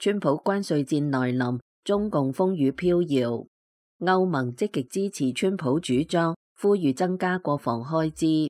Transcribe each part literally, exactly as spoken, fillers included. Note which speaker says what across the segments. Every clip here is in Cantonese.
Speaker 1: 川普關稅戰來臨，中共風雨飄搖。歐盟積極支持川普主張，呼籲增加國防開支。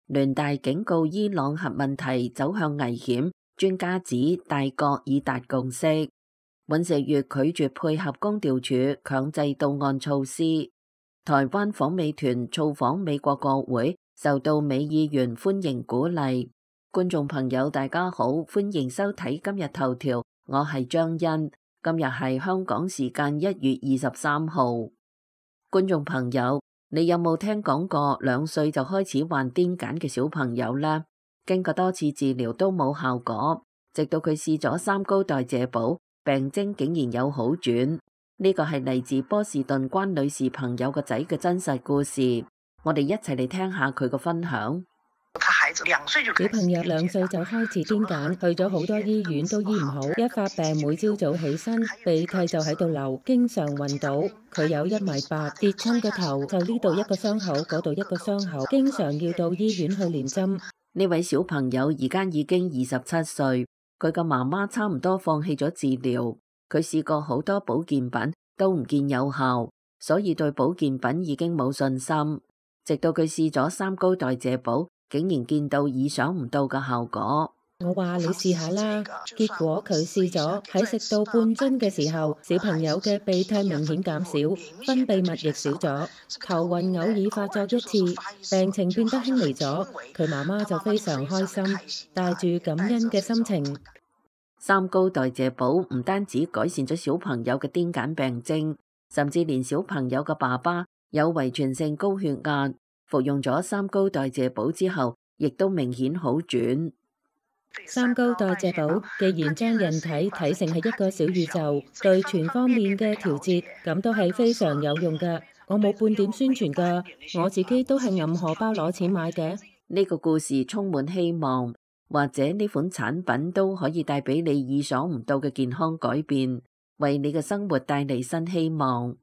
Speaker 1: 聯大警告伊朗核問題走向危險，專家指大國已達共識。尹錫悅拒絕配合公調處強制到案措施。台灣訪美團造訪美國國會，受到美議員歡迎鼓勵。觀眾朋友大家好，歡迎收睇今日頭條，我係張欣。今日係香港時間一月二十三號。觀眾朋友，你有冇聽講過兩歲就開始患癲癇嘅小朋友呢？經過多次治療都冇效果，直到佢試咗三高代謝寶，病徵竟然有好轉。呢個係嚟自波士頓關女士朋友個仔嘅真實故事，我哋一齊嚟聽下佢個分享。
Speaker 2: 小朋友兩歲就開始癲癇，去咗好多醫院都醫唔好，一發病每朝早起身鼻涕就喺度流，經常暈倒。佢有一米八，跌親個頭就呢度一個傷口，嗰度一個傷口，經常要到醫院去連針。
Speaker 1: 呢位小朋友而家已經二十七歲，佢嘅媽媽差唔多放棄咗治療，佢試過好多保健品都唔見有效，所以對保健品已經冇信心。直到佢試咗三高代謝寶，竟然見到意想唔到嘅效果。
Speaker 2: 我話你試下啦，結果佢試咗，喺食到半樽嘅時候，小朋友嘅鼻涕明顯減少，分泌物亦少咗，頭暈偶爾發作一次，病情變得輕微咗。佢媽媽就非常開心，帶住感恩嘅心情。
Speaker 1: 三高代謝寶唔單止改善咗小朋友嘅癲癇病徵，甚至連小朋友嘅爸爸有遺傳性高血壓，服用咗三高代謝寶之後，亦都明顯好轉。
Speaker 2: 三高代謝寶既然將人體睇成係一個小宇宙，對全方面嘅調節，咁都係非常有用㗎。我冇半點宣傳㗎，我自己都係揞荷包攞錢買嘅。
Speaker 1: 呢個故事充滿希望，或者呢款產品都可以帶俾你意想唔到嘅健康改變，為你嘅生活帶嚟新希望。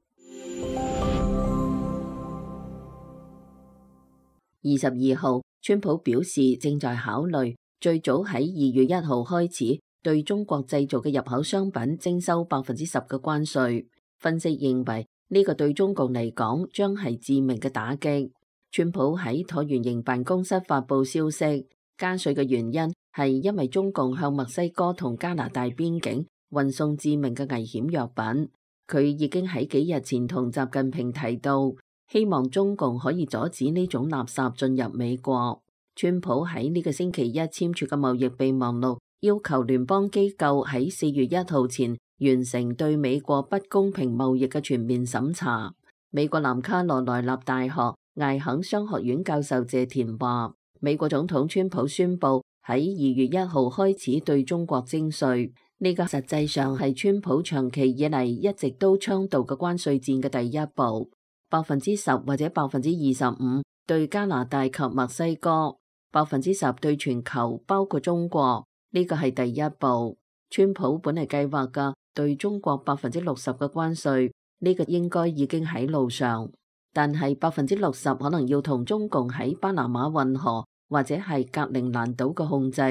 Speaker 1: 二十二號，川普表示正在考慮最早喺二月一號開始對中國製造嘅入口商品徵收百分之十嘅關稅。分析認為呢個對中共嚟講將係致命嘅打擊。川普喺橢圓形辦公室發布消息，加稅嘅原因係因為中共向墨西哥同加拿大邊境運送致命嘅危險藥品。佢已經喺幾日前同習近平提到，希望中共可以阻止呢種垃圾進入美國。川普喺呢個星期一簽署嘅貿易備忘錄，要求聯邦機構喺四月一號前完成對美國不公平貿易嘅全面審查。美國南卡羅來納大學艾肯商學院教授謝田話，美國總統川普宣布喺二月一號開始對中國徵稅，呢個實際上係川普長期以嚟一直都倡導嘅關稅戰嘅第一步，百分之十或者百分之二十五對加拿大及墨西哥，百分之十對全球，包括中國，呢個係第一步。川普本嚟計劃嘅對中國百分之六十嘅關稅，呢個應該已經喺路上，但係百分之六十可能要同中共喺巴拿馬運河或者係格陵蘭島嘅控制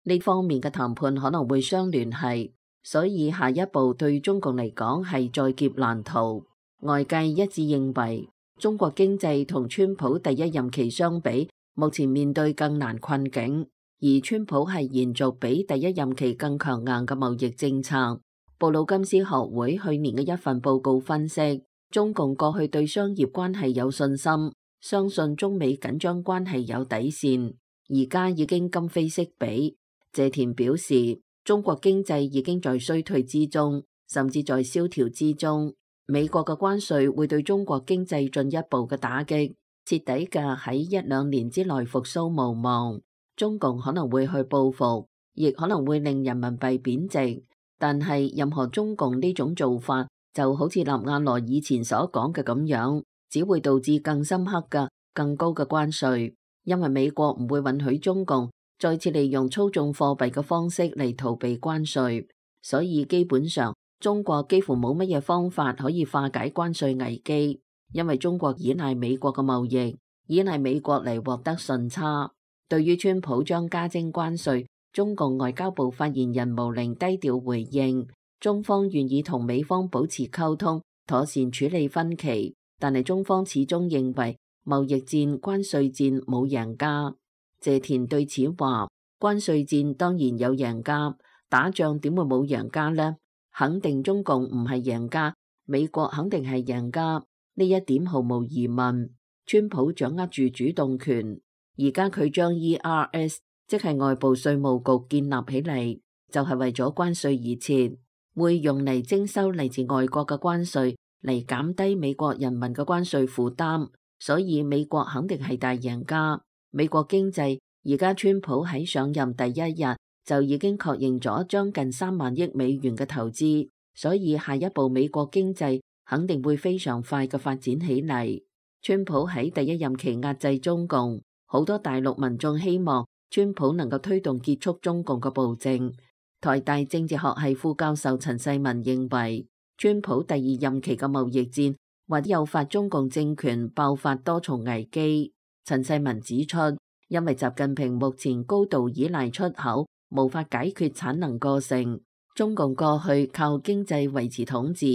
Speaker 1: 呢方面嘅談判可能會相聯繫，所以下一步對中共嚟講係在劫難逃。外界一致認為，中國經濟同川普第一任期相比，目前面對更難困境，而川普係延續比第一任期更強硬嘅貿易政策。布魯金斯學會去年嘅一份報告分析，中共過去對商業關係有信心，相信中美緊張關係有底線，而家已經今非昔比。謝田表示，中國經濟已經在衰退之中，甚至在蕭條之中。美國嘅關稅會對中國經濟進一步嘅打擊，徹底嘅喺一兩年之內復甦無望。中共可能會去報復，亦可能會令人民幣貶值。但係任何中共呢種做法，就好似納瓦羅以前所講嘅咁樣，只會導致更深刻嘅、更高嘅關稅。因為美國唔會允許中共再次利用操縱貨幣嘅方式嚟逃避關稅，所以基本上，中國幾乎冇乜嘢方法可以化解關稅危機，因為中國依賴美國嘅貿易，依賴美國嚟獲得順差。對於川普將加徵關稅，中共外交部發言人毛寧低調回應，中方願意同美方保持溝通，妥善處理分歧，但係中方始終認為貿易戰、關稅戰冇贏家。謝田對此話：關稅戰當然有贏家，打仗點會冇贏家呢？肯定中共唔係贏家，美國肯定係贏家，呢一點毫無疑問。川普掌握住主動權，而家佢將 E R S 即係外部稅務局建立起嚟，就係為咗關稅而設，會用嚟徵收嚟自外國嘅關稅，嚟減低美國人民嘅關稅負擔。所以美國肯定係大贏家。美國經濟而家川普喺上任第一日就已經確認咗將近三萬億美元嘅投資，所以下一步美國經濟肯定會非常快嘅發展起嚟。川普喺第一任期壓制中共，好多大陸民眾希望川普能夠推動結束中共嘅暴政。台大政治學系副教授陳世民認為，川普第二任期嘅貿易戰或誘發中共政權爆發多重危機。陳世民指出，因為習近平目前高度依賴出口，無法解決產能過剩。中共過去靠經濟維持統治，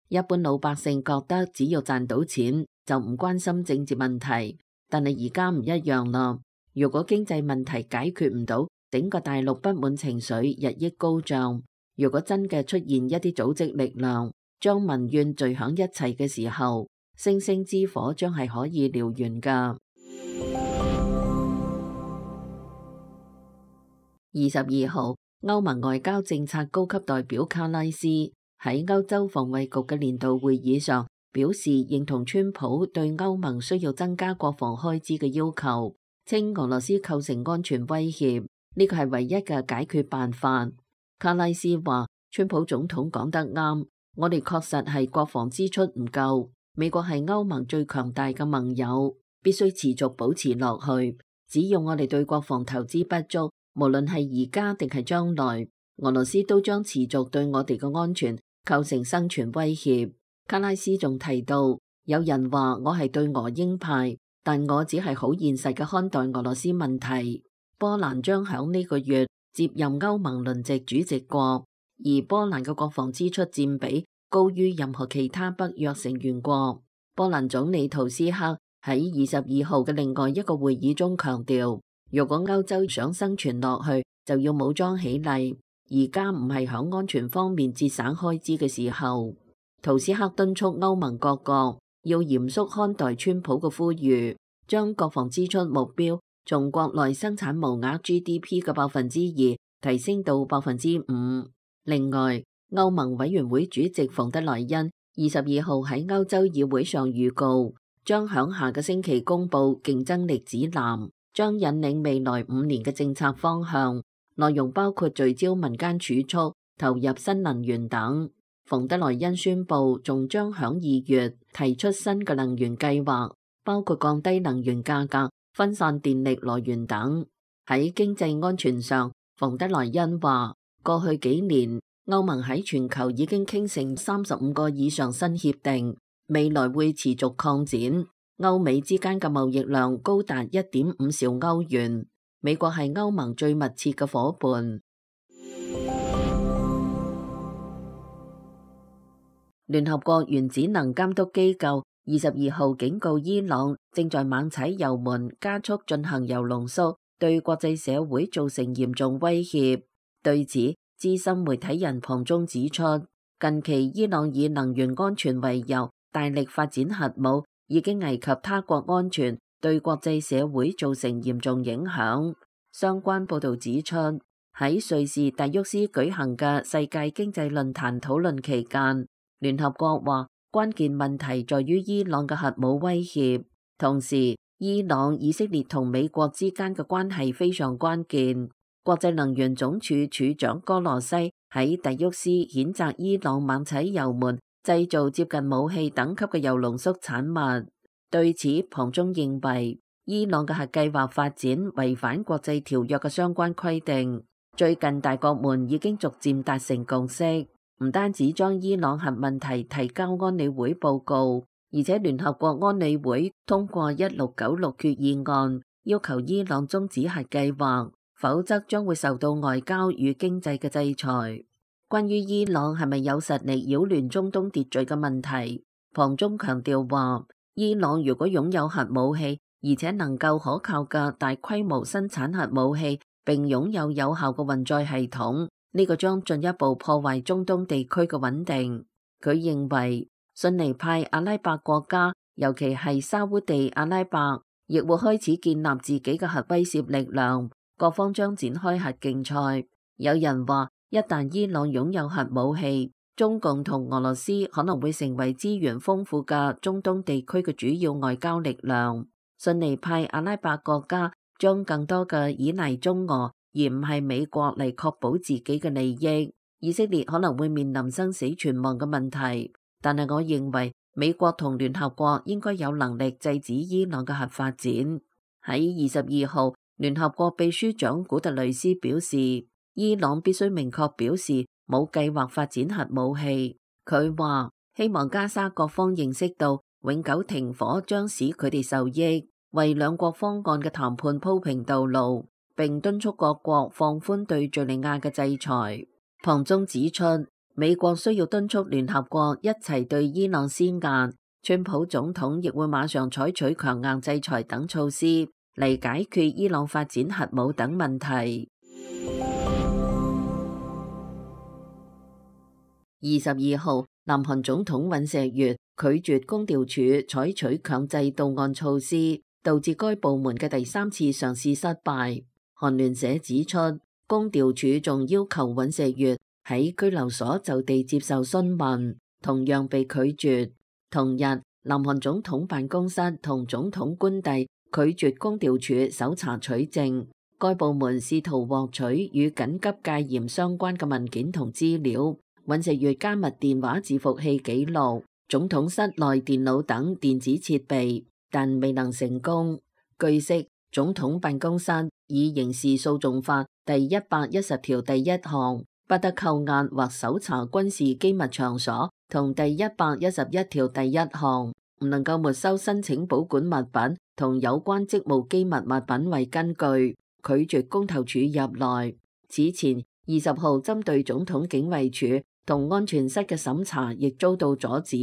Speaker 1: 一般老百姓覺得只要賺到錢就唔關心政治問題。但係而家唔一樣啦，如果經濟問題解決唔到，整個大陸不滿情緒日益高漲。如果真嘅出現一啲組織力量，將民怨聚響一齊嘅時候，星星之火將係可以燎原噶。二十二號，歐盟外交政策高級代表卡拉斯喺歐洲防衛局嘅年度會議上表示，認同川普對歐盟需要增加國防開支嘅要求，稱俄羅斯構成安全威脅，呢個係唯一嘅解決辦法。卡拉斯話，川普總統講得啱，我哋確實係國防支出唔夠，美國係歐盟最強大嘅盟友，必須持續保持落去。只要我哋對國防投資不足，無論係而家定係將來，俄羅斯都將持續對我哋嘅安全構成生存威脅。卡拉斯仲提到，有人話我係對俄鷹派，但我只係好現實嘅看待俄羅斯問題。波蘭將響呢個月接任歐盟輪值主席國，而波蘭嘅國防支出佔比高於任何其他北約成員國。波蘭總理圖斯克喺二十二號嘅另外一個會議中強調，如果歐洲想生存落去，就要武裝起嚟。而家唔係響安全方面節省開支嘅時候。圖斯克敦促歐盟各國要嚴肅看待川普嘅呼籲，將國防支出目標從國內生產毛額 G D P 嘅百分之二提升到百分之五。另外，歐盟委員會主席馮德萊恩二十二號喺歐洲議會上預告，將響下個星期公布競爭力指南，將引領未來五年嘅政策方向，內容包括聚焦民間儲蓄、投入新能源等。馮德萊恩宣布，仲將響二月提出新嘅能源計劃，包括降低能源價格、分散電力來源等。喺經濟安全上，馮德萊恩話，過去幾年歐盟喺全球已經傾成三十五個以上新協定，未來會持續擴展。歐美之間嘅貿易量高達一點五兆歐元，美國係歐盟最密切嘅夥伴。聯合國原子能監督機構二十二號警告伊朗正在猛踩油門，加速進行鈾濃縮，對國際社會造成嚴重威脅。對此，資深媒體人龐中指出，近期伊朗以能源安全為由，大力發展核武，已經危及他國安全，對國際社會造成嚴重影響。相關報導指出，喺瑞士達沃斯舉行嘅世界經濟論壇討論期間，聯合國話關鍵問題在於伊朗嘅核武威脅，同時伊朗、以色列同美國之間嘅關係非常關鍵。國際能源總署署長哥羅西喺達沃斯譴責伊朗猛踩油門，製造接近武器等級嘅鈾濃縮產物。對此，龐中認為伊朗嘅核計劃發展違反國際條約嘅相關規定。最近大國們已經逐漸達成共識，唔單止將伊朗核問題提交安理會報告，而且聯合國安理會通過一六九六決議案，要求伊朗終止核計劃，否則將會受到外交與經濟嘅制裁。關於伊朗係咪有實力擾亂中東秩序嘅問題，龐中強調話，伊朗如果擁有核武器，而且能夠可靠嘅大規模生產核武器，並擁有有效嘅運載系統，呢個將進一步破壞中東地區嘅穩定。佢認為，遜尼派阿拉伯國家，尤其係沙烏地阿拉伯，亦會開始建立自己嘅核威懾力量，各方將展開核競賽。有人話，一旦伊朗擁有核武器，中共同俄羅斯可能會成為資源豐富嘅中東地區嘅主要外交力量。遜尼派阿拉伯國家將更多嘅依賴中俄，而唔係美國嚟確保自己嘅利益。以色列可能會面臨生死存亡嘅問題，但係我認為美國同聯合國應該有能力制止伊朗嘅核發展。喺二十二號，聯合國秘書長古特雷斯表示，伊朗必須明確表示冇計劃發展核武器。佢話希望加沙各方認識到永久停火將使佢哋受益，為兩國方案嘅談判鋪平道路，並敦促各國放寬對敘利亞嘅制裁。龐中指出，美國需要敦促聯合國一齊對伊朗施壓，川普總統亦會馬上採取強硬制裁等措施嚟解決伊朗發展核武等問題。二十二號，南韓總統尹錫悅拒絕公調處採取強制到案措施，導致該部門嘅第三次嘗試失敗。韓聯社指出，公調處仲要求尹錫悅喺拘留所就地接受詢問，同樣被拒絕。同日，南韓總統辦公室同總統官邸拒絕公調處搜查取證，該部門試圖獲取與緊急戒嚴相關嘅文件同資料，尹錫悅加密電話伺服器記錄、總統室內電腦等電子設備，但未能成功。據悉，總統辦公室以刑事訴訟法第一百一十條第一項不得扣押或搜查軍事機密場所，同第一百一十一條第一項唔能夠沒收申請保管物品同有關職務機密物品為根據，拒絕公投處入內。此前二十號針對總統警衛處同安全室嘅審查亦遭到阻止。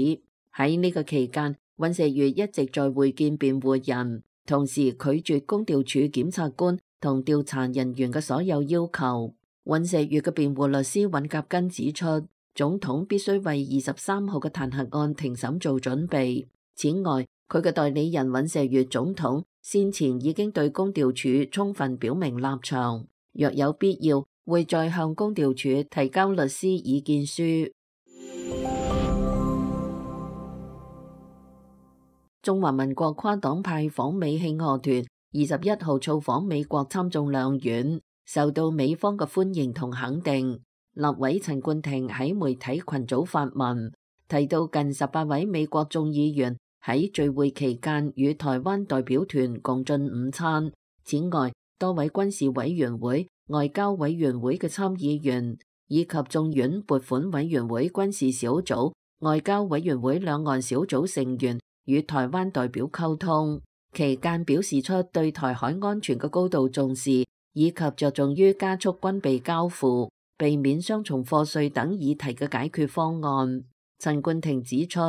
Speaker 1: 喺呢個期間，尹錫悅一直在會見辯護人，同時拒絕公調處檢察官同調查人員嘅所有要求。尹錫悅嘅辯護律師尹甲根指出，總統必須為二十三號嘅彈劾案庭審做準備。此外，佢嘅代理人尹錫悅總統先前已經對公調處充分表明立場，若有必要，會再向公調處提交律師意見書。中華民國跨黨派訪美慶賀團二十一號造訪美國參眾兩院，受到美方嘅歡迎同肯定。立委陳冠廷喺媒體群組發文，提到近十八位美國眾議員喺聚會期間與台灣代表團共進午餐。此外，多位軍事委員會、外交委員會嘅參議員，以及眾院撥款委員會軍事小組、外交委員會兩岸小組成員與台灣代表溝通，期間表示出對台海安全嘅高度重視，以及着重於加速軍備交付、避免雙重課稅等議題嘅解決方案。陳冠廷指出，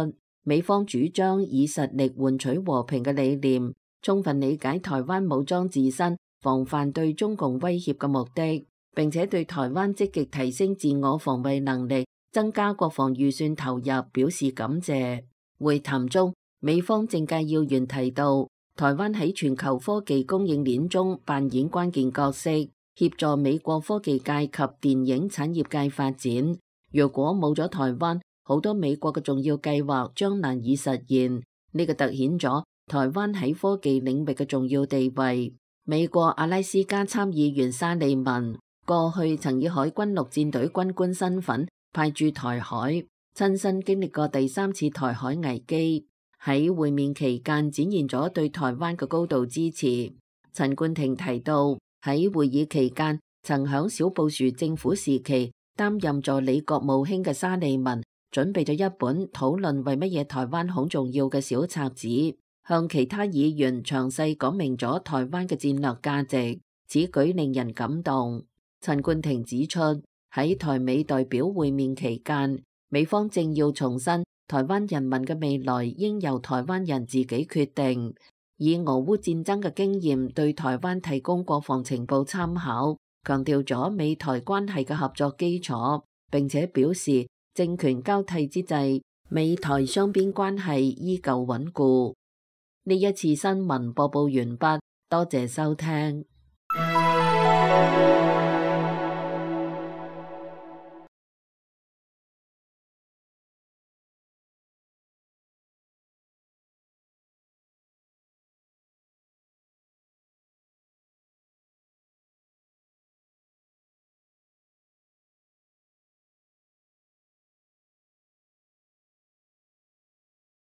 Speaker 1: 美方主張以實力換取和平嘅理念，充分理解台灣武裝自身、防範對中共威脅嘅目的，並且對台灣積極提升自我防衛能力、增加國防預算投入表示感謝。會談中，美方政界要員提到，台灣喺全球科技供應鏈中扮演關鍵角色，協助美國科技界及電影產業界發展。若果冇咗台灣，好多美國嘅重要計劃將難以實現。呢個凸顯咗台灣喺科技領域嘅重要地位。美國阿拉斯加參議員沙利文過去曾以海軍陸戰隊軍官身份派駐台海，親身經歷過第三次台海危機。喺會面期間展現咗對台灣嘅高度支持。陳冠廷提到，喺會議期間曾響小布殊政府時期擔任助理國務卿嘅沙利文準備咗一本討論為乜嘢台灣好重要嘅小冊子，向其他議員詳細講明咗台灣嘅戰略價值，此舉令人感動。陳冠廷指出，喺台美代表會面期間，美方正要重申台灣人民嘅未來應由台灣人自己決定，以俄烏戰爭嘅經驗對台灣提供國防情報參考，強調咗美台關係嘅合作基礎，並且表示政權交替之際，美台雙邊關係依舊穩固。呢一次新聞播報完畢，多謝收聽。